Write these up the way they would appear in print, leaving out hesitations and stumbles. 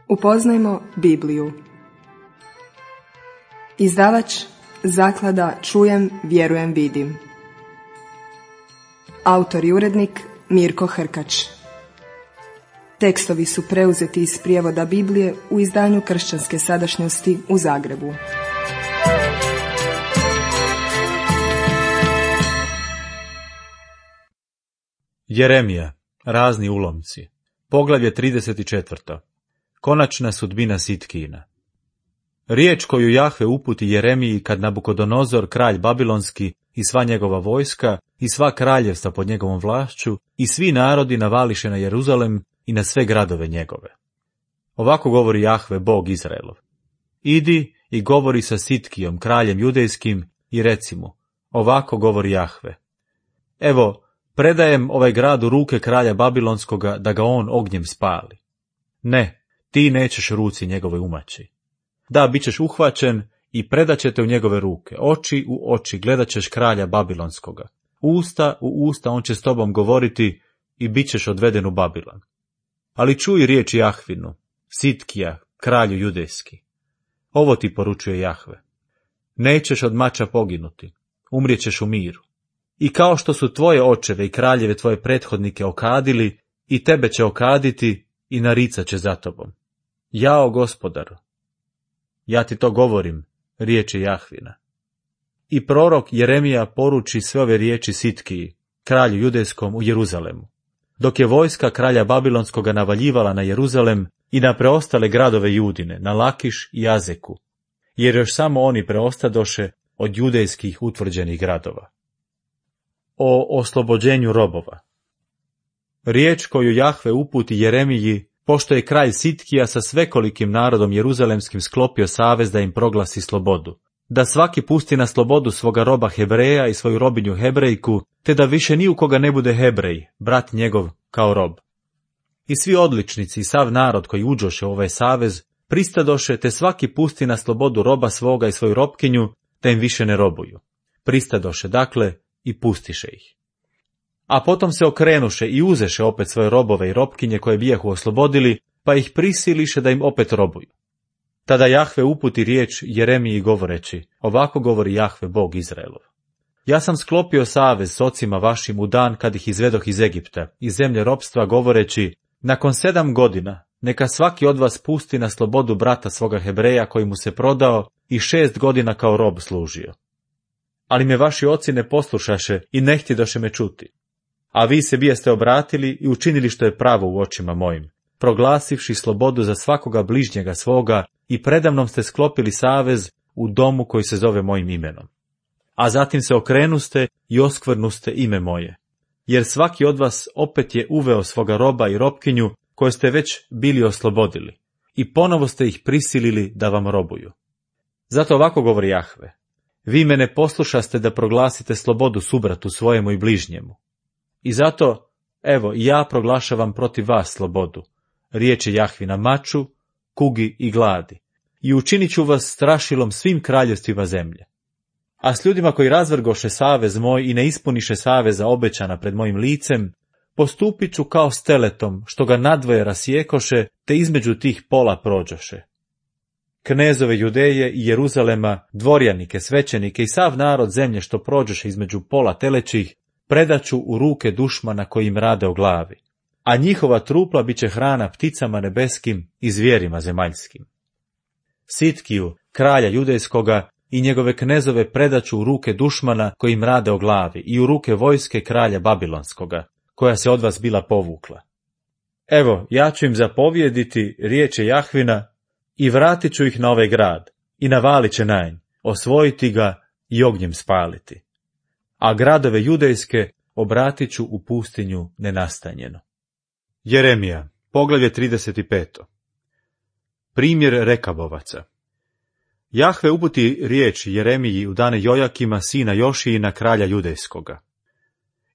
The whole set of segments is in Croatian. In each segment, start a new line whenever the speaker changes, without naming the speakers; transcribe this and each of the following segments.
Upoznajmo Bibliju. Izdavač Zaklada Čujem, vjerujem, vidim. Autor i urednik Mirko Hrkač. Tekstovi su preuzeti iz prijevoda Biblije u izdanju Kršćanske sadašnjosti u Zagrebu.
Jeremija, razni ulomci. Poglavlje 34. Konačna sudbina Sitkijina. Riječ koju Jahve uputi Jeremiji kad Nabukodonozor, kralj babilonski, i sva njegova vojska, i sva kraljevstva pod njegovom vlašću, i svi narodi navališe na Jeruzalem i na sve gradove njegove. Ovako govori Jahve, Bog Izraelov. Idi i govori sa Sitkijom, kraljem judejskim, i reci mu, ovako govori Jahve. Evo, predajem ovaj grad u ruke kralja babilonskoga da ga on ognjem spali. Ne, ti nećeš ruci njegove umaći. Da, bit ćeš uhvaćen i predat će te u njegove ruke. Oči u oči gledat ćeš kralja babilonskoga. Usta u usta on će s tobom govoriti i bit ćeš odveden u Babilon. Ali čuj riječ Jahvinu, Sitkija, kralju judejski. Ovo ti poručuje Jahve. Nećeš od mača poginuti, umrijećeš u miru. I kao što su tvoje očeve i kraljeve tvoje prethodnike okadili, i tebe će okaditi i naricat će za tobom. Jao, Gospodaru, ja ti to govorim, riječi Jahvina. I prorok Jeremija poruči sve ove riječi Sitkiji, kralju judejskom u Jeruzalemu. Dok je vojska kralja babilonskoga navaljivala na Jeruzalem i na preostale gradove Judine, na Lakiš i Azeku, jer još samo oni preostadoše od judejskih utvrđenih gradova. O oslobođenju robova. Riječ koju Jahve uputi Jeremiji, pošto je kralj Sitkija sa svekolikim narodom jeruzalemskim sklopio savez da im proglasi slobodu, da svaki pusti na slobodu svoga roba Hebreja i svoju robinju Hebrejku, te da više ni u koga ne bude Hebrej, brat njegov, kao rob. I svi odličnici i sav narod koji uđoše u ovaj savez pristadoše, te svaki pusti na slobodu roba svoga i svoju robkinju, da im više ne robuju. Pristadoše, dakle, i pustiše ih. A potom se okrenuše i uzeše opet svoje robove i robkinje koje bijahu oslobodili, pa ih prisiliše da im opet robuju. Tada Jahve uputi riječ Jeremiji govoreći, ovako govori Jahve, Bog Izraelov. Ja sam sklopio savez s ocima vašim u dan kad ih izvedoh iz Egipta, iz zemlje ropstva, govoreći, nakon 7 godina neka svaki od vas pusti na slobodu brata svoga Hebreja koji mu se prodao i 6 godina kao rob služio. Ali me vaši oci ne poslušaše i ne htjedoše me čuti. A vi se bijeste obratili i učinili što je pravo u očima mojim, proglasivši slobodu za svakoga bližnjega svoga i predamnom ste sklopili savez u domu koji se zove mojim imenom. A zatim se okrenuste i oskvrnuste ime moje, jer svaki od vas opet je uveo svoga roba i robkinju koje ste već bili oslobodili i ponovo ste ih prisilili da vam robuju. Zato ovako govori Jahve, vi me ne poslušaste da proglasite slobodu subratu svojemu i bližnjemu. I zato, evo, ja proglašavam protiv vas slobodu, riječi Jahvina, maču, kugi i gladi, i učinit ću vas strašilom svim kraljevstvima zemlje. A s ljudima koji razvrgoše savez moj i ne ispuniše saveza obećana pred mojim licem, postupit ću kao s teletom, što ga nadvoje rasjekoše, te između tih pola prođoše. Knezove Judeje i Jeruzalema, dvorjanike, svećenike i sav narod zemlje što prođoše između pola telećih, predaću u ruke dušmana koji im rade o glavi, a njihova trupla bit će hrana pticama nebeskim i zvijerima zemaljskim. Sitkiju, kralja judejskoga, i njegove knezove predaću u ruke dušmana koji im rade o glavi i u ruke vojske kralja babilonskoga, koja se od vas bila povukla. Evo, ja ću im zapovjediti riječi Jahvina i vratit ću ih na ovaj grad i navalit će na nj, osvojiti ga i ognjem spaliti. A gradove judejske obratit ću u pustinju nenastanjeno. Jeremija, poglavlje 35. Primjer Rekabovaca. Jahve uputi riječ Jeremiji u dane Jojakima, sina Jošijina, kralja judejskoga.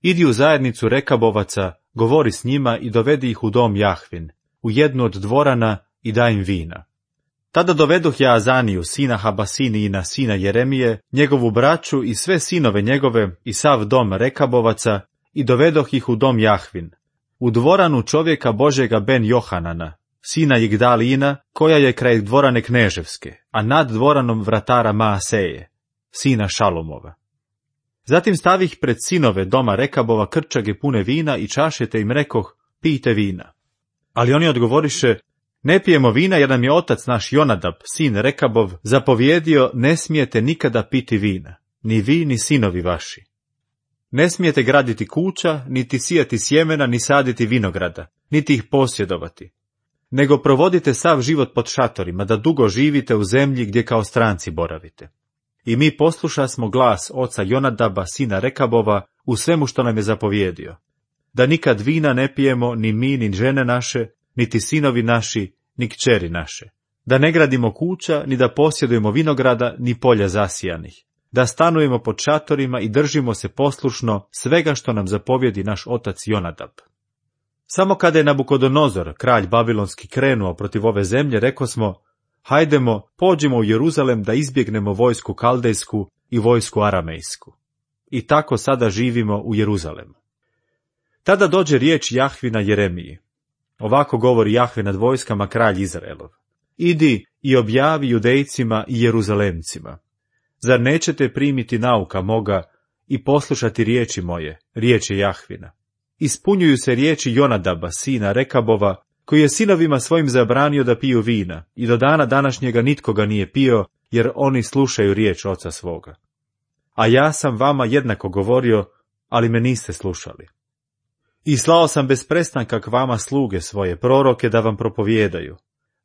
Idi u zajednicu Rekabovaca, govori s njima i dovedi ih u dom Jahvin, u jednu od dvorana i daj im vina. Tada dovedoh ja Azaniju, sina Habasinijina, sina Jeremije, njegovu braću i sve sinove njegove i sav dom Rekabovaca i dovedoh ih u dom Jahvin, u dvoranu čovjeka Božjega Ben Johanana, sina Jigdalina, koja je kraj dvorane Kneževske, a nad dvoranom vratara Maaseje, sina Šalomova. Zatim stavih pred sinove doma Rekabova krčage pune vina i čaše, te im rekoh, pijte vina. Ali oni odgovoriše, ne pijemo vina jer nam je otac naš Jonadab, sin Rekabov, zapovjedio, ne smijete nikada piti vina, ni vi ni sinovi vaši. Ne smijete graditi kuća, niti sijati sjemena, ni saditi vinograda, niti ih posjedovati. Nego provodite sav život pod šatorima, da dugo živite u zemlji gdje kao stranci boravite. I mi poslušasmo glas oca Jonadaba, sina Rekabova, u svemu što nam je zapovjedio. Da nikad vina ne pijemo, ni mi, ni žene naše, niti sinovi naši, ni kćeri naše. Da ne gradimo kuća, ni da posjedujemo vinograda, ni polja zasijanih. Da stanujemo pod šatorima i držimo se poslušno svega što nam zapovjedi naš otac Jonadab. Samo kada je Nabukodonozor, kralj babilonski, krenuo protiv ove zemlje, rekosmo, hajdemo, pođimo u Jeruzalem da izbjegnemo vojsku kaldejsku i vojsku aramejsku. I tako sada živimo u Jeruzalemu. Tada dođe riječ Jahvina Jeremiji. Ovako govori Jahve nad vojskama, kralj Izraelov. Idi i objavi Judejcima i Jeruzalemcima. Zar nećete primiti nauka moga i poslušati riječi moje, riječi Jahvina? Ispunjuju se riječi Jonadaba, sina Rekabova, koji je sinovima svojim zabranio da piju vina, i do dana današnjega nitko ga nije pio, jer oni slušaju riječ oca svoga. A ja sam vama jednako govorio, ali me niste slušali. I slao sam bez prestanka k vama sluge svoje, proroke, da vam propovijedaju.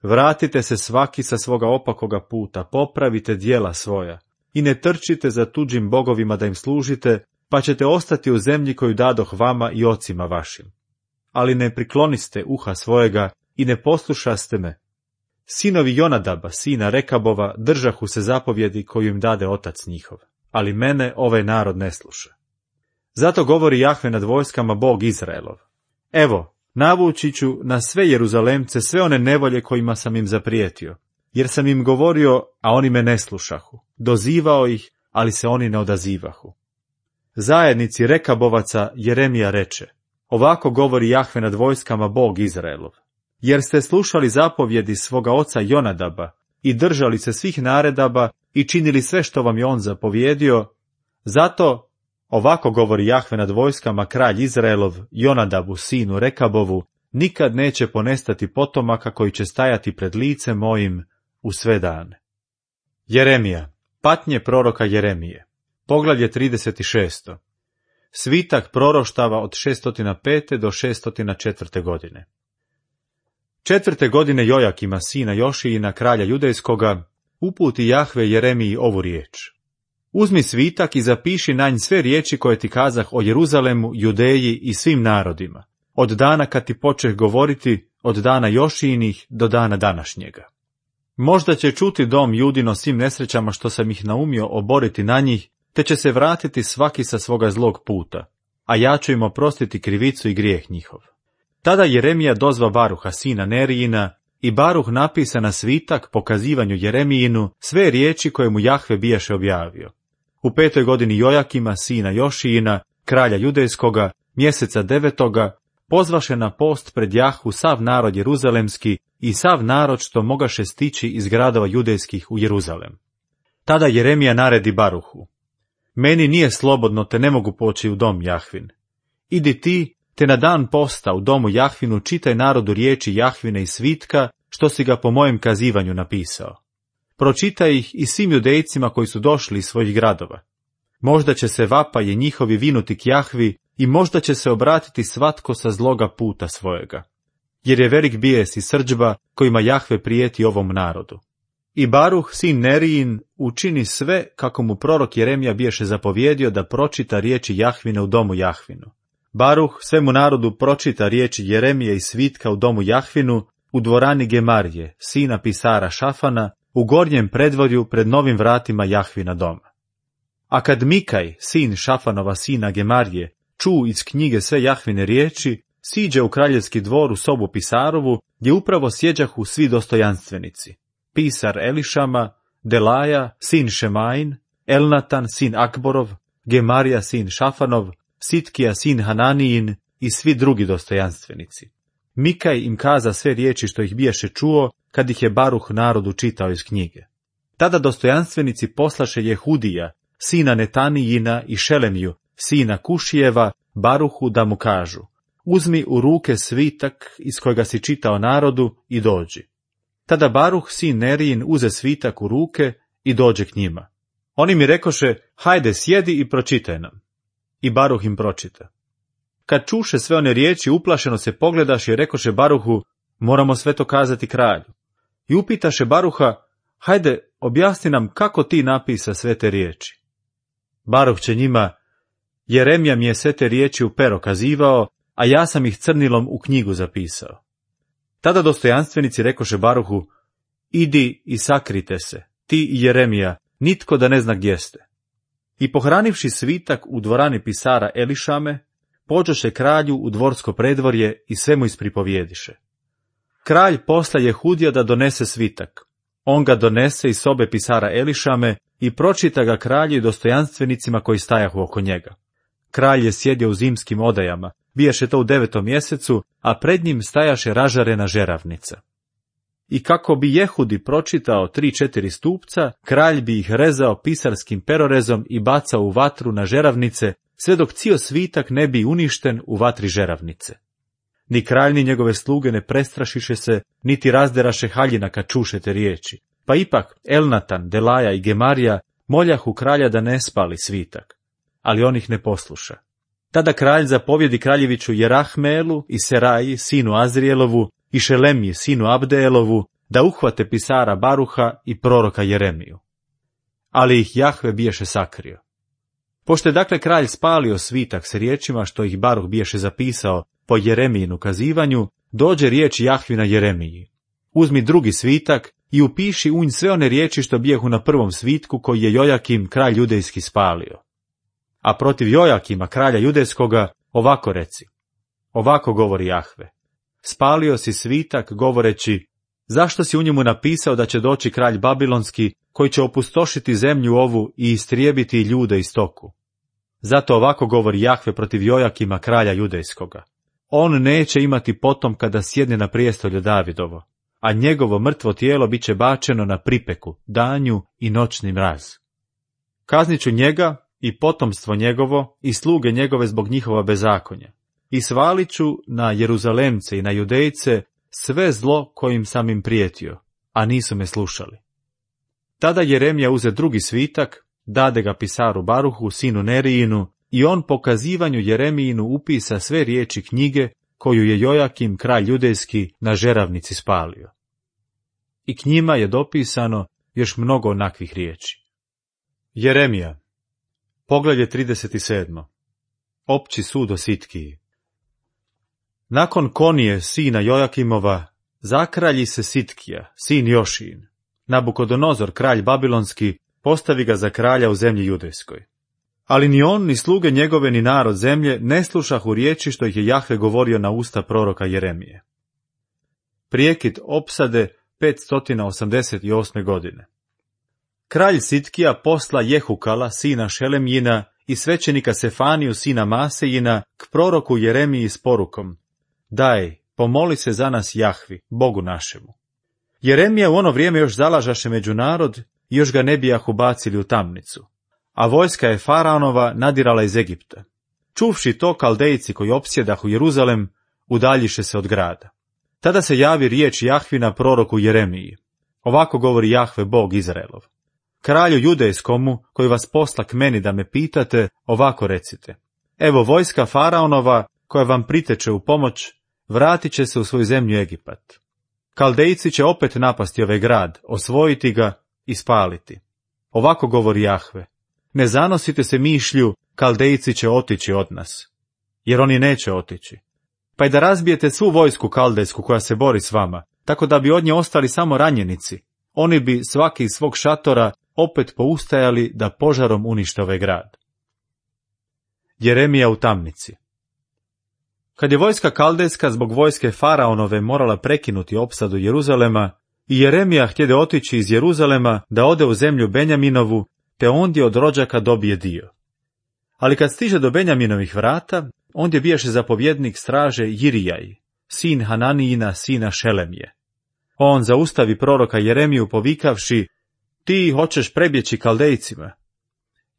Vratite se svaki sa svoga opakoga puta, popravite djela svoja, i ne trčite za tuđim bogovima da im služite, pa ćete ostati u zemlji koju dadoh vama i ocima vašim. Ali ne prikloniste uha svojega i ne poslušaste me. Sinovi Jonadaba, sina Rekabova, držahu se zapovjedi koju im dade otac njihov, ali mene ovaj narod ne sluša. Zato govori Jahve nad vojskama, Bog Izraelov. Evo, navući ću na sve Jeruzalemce sve one nevolje kojima sam im zaprijetio, jer sam im govorio, a oni me ne slušahu, dozivao ih, ali se oni ne odazivahu. Zajednici Rekabovaca Jeremija reče, ovako govori Jahve nad vojskama, Bog Izraelov. Jer ste slušali zapovjedi svoga oca Jonadaba i držali se svih naredaba i činili sve što vam je on zapovjedio, zato, ovako govori Jahve nad vojskama, kralj Izraelov, Jonadabu, sinu Rekabovu, nikad neće ponestati potomaka koji će stajati pred licem mojim u sve dane. Jeremija, patnje proroka Jeremije, poglavlje 36. Svitak proroštava od 605. do 604. godine. 4. godine Jojakima, sina Jošijina, kralja Judejskoga, uputi Jahve Jeremiji ovu riječ. Uzmi svitak i zapiši na nj sve riječi koje ti kazah o Jeruzalemu, Judeji i svim narodima, od dana kad ti počeh govoriti, od dana Jošijinih do dana današnjega. Možda će čuti dom Judino svim nesrećama što sam ih naumio oboriti na njih, te će se vratiti svaki sa svoga zlog puta, a ja ću im oprostiti krivicu i grijeh njihov. Tada Jeremija dozva Baruha, sina Nerijina, i Baruh napisa na svitak pokazivanju Jeremijinu sve riječi koje mu Jahve bijaše objavio. U 5. godini Jojakima, sina Jošijina, kralja Judejskoga, mjeseca 9. pozvaše na post pred Jahvu sav narod jeruzalemski i sav narod što mogaše stići iz gradova judejskih u Jeruzalem. Tada Jeremija naredi Baruhu, meni nije slobodno, te ne mogu poći u dom Jahvin. Idi ti, te na dan posta u domu Jahvinu čitaj narodu riječi Jahvine i svitka, što si ga po mojem kazivanju napisao. Pročitaj ih i svim Judejcima koji su došli iz svojih gradova. Možda će se vapaje njihovi vinuti k Jahvi i možda će se obratiti svatko sa zloga puta svojega. Jer je velik bijes i srdžba kojima Jahve prijeti ovom narodu. I Baruh, sin Nerijin, učini sve kako mu prorok Jeremija biješe zapovjedio da pročita riječi Jahvine u domu Jahvinu. Baruh svemu narodu pročita riječi Jeremije i svitka u domu Jahvinu, u dvorani Gemarije, sina pisara Šafana, u gornjem predvorju pred novim vratima Jahvina doma. A kad Mikaj, sin Šafanova sina Gemarije, ču iz knjige sve Jahvine riječi, siđe u kraljevski dvor u sobu pisarovu, gdje upravo sjeđahu svi dostojanstvenici. Pisar Elišama, Delaja, sin Šemain, Elnatan, sin Akborov, Gemarija, sin Šafanov, Sitkija, sin Hananijin i svi drugi dostojanstvenici. Mikaj im kaza sve riječi što ih biješe čuo, kad ih je Baruh narodu čitao iz knjige. Tada dostojanstvenici poslaše Jehudija, sina Netanijina, i Šelemiju, sina Kušijeva, Baruhu, da mu kažu: uzmi u ruke svitak iz kojega si čitao narodu i dođi. Tada Baruh, sin Nerijin, uze svitak u ruke i dođe k njima. Oni mi rekoše: hajde, sjedi i pročitaj nam. I Baruh im pročita. Kad čuše sve one riječi, uplašeno se pogledaše i rekoše Baruhu: moramo sve to kazati kralju. I upitaše Baruha: hajde, objasni nam kako ti napisa sve te riječi. Baruh će njima: Jeremija mi je sve te riječi u pero kazivao, a ja sam ih crnilom u knjigu zapisao. Tada dostojanstvenici rekoše Baruhu: idi i sakrite se, ti i Jeremija, nitko da ne zna gdje ste. I pohranivši svitak u dvorani pisara Elišame, pođoše kralju u dvorsko predvorje i sve mu ispripovijediše. Kralj posla Jehudija da donese svitak. On ga donese iz sobe pisara Elišame i pročita ga kralju i dostojanstvenicima koji stajahu oko njega. Kralj je sjedio u zimskim odajama, bijaše to u 9. mjesecu, a pred njim stajaše ražarena žeravnica. I kako bi Jehudi pročitao 3-4 stupca, kralj bi ih rezao pisarskim perorezom i bacao u vatru na žeravnice, sve dok cijel svitak ne bi uništen u vatri žeravnice. Ni kralj ni njegove sluge ne prestrašiše se, niti razderaše haljina kad čuše te riječi. Pa ipak Elnatan, Delaja i Gemarija moljahu kralja da ne spali svitak, ali on ih ne posluša. Tada kralj zapovjedi kraljeviću Jerahmeelu i Seraji, sinu Azrijelovu, i Šelemiji, sinu Abdeelovu, da uhvate pisara Baruha i proroka Jeremiju. Ali ih Jahve biješe sakrio. Pošto je dakle kralj spalio svitak s riječima što ih Baruh biješe zapisao po Jeremijinu kazivanju, dođe riječ Jahvina Jeremiji: uzmi drugi svitak i upiši u nj sve one riječi što bijehu na prvom svitku koji je Jojakim, kralj judejski, spalio. A protiv Jojakima, kralja judejskoga, ovako reci: ovako govori Jahve: spalio si svitak govoreći: zašto si u njemu napisao da će doći kralj babilonski, koji će opustošiti zemlju ovu i istrijebiti ljude i stoku? Zato ovako govori Jahve protiv Jojakima, kralja judejskoga: on neće imati potomka da sjedne na prijestolje Davidovo, a njegovo mrtvo tijelo bit će bačeno na pripeku, danju i noćni mraz. Kaznit ću njega i potomstvo njegovo i sluge njegove zbog njihova bezakonja, i svalit ću na Jeruzalemce i na Judejce sve zlo kojim sam im prijetio, a nisu me slušali. Tada Jeremija uze drugi svitak, dade ga pisaru Baruhu, sinu Nerijinu, i on po kazivanju Jeremijinu upisa sve riječi knjige koju je Jojakim, kralj judejski, na žeravnici spalio. I k njima je dopisano još mnogo onakvih riječi. Jeremija, poglavlje 37. Opći sud o Sitkiji. Nakon Konije, sina Jojakimova, zakralji se Sitkija, sin Jošijin. Nabukodonozor, kralj babilonski, postavi ga za kralja u zemlji judejskoj. Ali ni on, ni sluge njegove, ni narod zemlje ne slušahu riječi što ih je Jahve govorio na usta proroka Jeremije. Prijekid opsade 588. godine. Kralj Sitkija posla Jehukala, sina Šelemjina, i svećenika Sefaniju, sina Masejina, k proroku Jeremiji s porukom: daj, pomoli se za nas Jahvi, Bogu našemu. Jeremija u ono vrijeme još zalažaše među narod i još ga ne bijahu bacili u tamnicu, a vojska je Faraonova nadirala iz Egipta. Čuvši to, Kaldejci koji opsjedahu Jeruzalem udaljiše se od grada. Tada se javi riječ Jahvina proroku Jeremiji: ovako govori Jahve, Bog Izraelov: kralju judejskomu, koji vas posla k meni da me pitate, ovako recite: evo vojska Faraonova, koja vam priteče u pomoć, vratit će se u svoju zemlju Egipat. Kaldejci će opet napasti ovaj grad, osvojiti ga i spaliti. Ovako govori Jahve: ne zanosite se mišlju, Kaldejci će otići od nas, jer oni neće otići. Pa i da razbijete svu vojsku kaldejsku koja se bori s vama, tako da bi od nje ostali samo ranjenici, oni bi svaki iz svog šatora opet poustajali da požarom unište ovaj grad. Jeremija u tamnici. Kad je vojska kaldejska zbog vojske Faraonove morala prekinuti opsadu Jeruzalema, i Jeremija htjede otići iz Jeruzalema da ode u zemlju Benjaminovu, te ondje od rođaka dobije dio. Ali kad stiže do Benjaminovih vrata, ondje bijaše zapovjednik straže Jirijaj, sin Hananijina, sina Šelemije. On zaustavi proroka Jeremiju povikavši, ti hoćeš prebjeći Kaldejcima.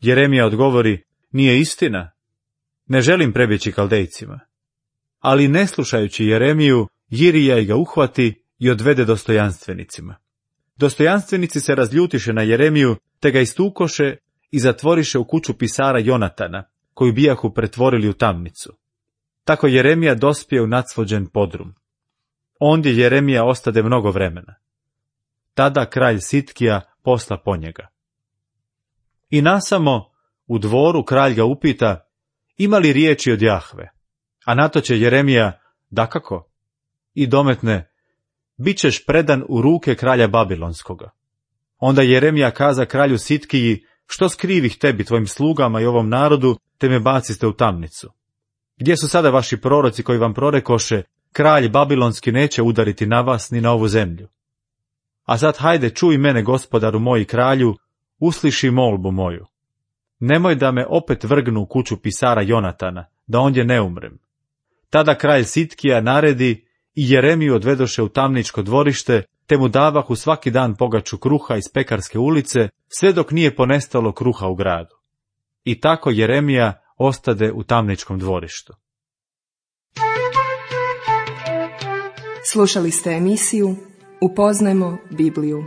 Jeremija odgovori, nije istina, ne želim prebjeći Kaldejcima. Ali ne slušajući Jeremiju, Jirija ga uhvati i odvede dostojanstvenicima. Dostojanstvenici se razljutiše na Jeremiju, te ga istukoše i zatvoriše u kuću pisara Jonatana, koju bijahu pretvorili u tamnicu. Tako Jeremija dospije u nacvođen podrum. Ondje Jeremija ostade mnogo vremena. Tada kralj Sitkija posla po njega. I nasamo, u dvoru kralj ga upita, ima li riječi od Jahve? A na to će Jeremija, dakako, i dometne, bit ćeš predan u ruke kralja Babilonskoga. Onda Jeremija kaza kralju Sitkiji, što skrivih tebi, tvojim slugama i ovom narodu, te me baciste u tamnicu. Gdje su sada vaši proroci koji vam prorekoše, kralj Babilonski neće udariti na vas ni na ovu zemlju? A sad hajde, čuj mene, gospodaru moj kralju, usliši molbu moju. Nemoj da me opet vrgnu u kuću pisara Jonatana, da ondje ne umrem. Tada kralj Sitkija naredi i Jeremiju odvedoše u tamničko dvorište, te mu davahu svaki dan pogaču kruha iz pekarske ulice, sve dok nije ponestalo kruha u gradu. I tako Jeremija ostade u tamničkom dvorištu.
Slušali ste emisiju Upoznajmo Bibliju.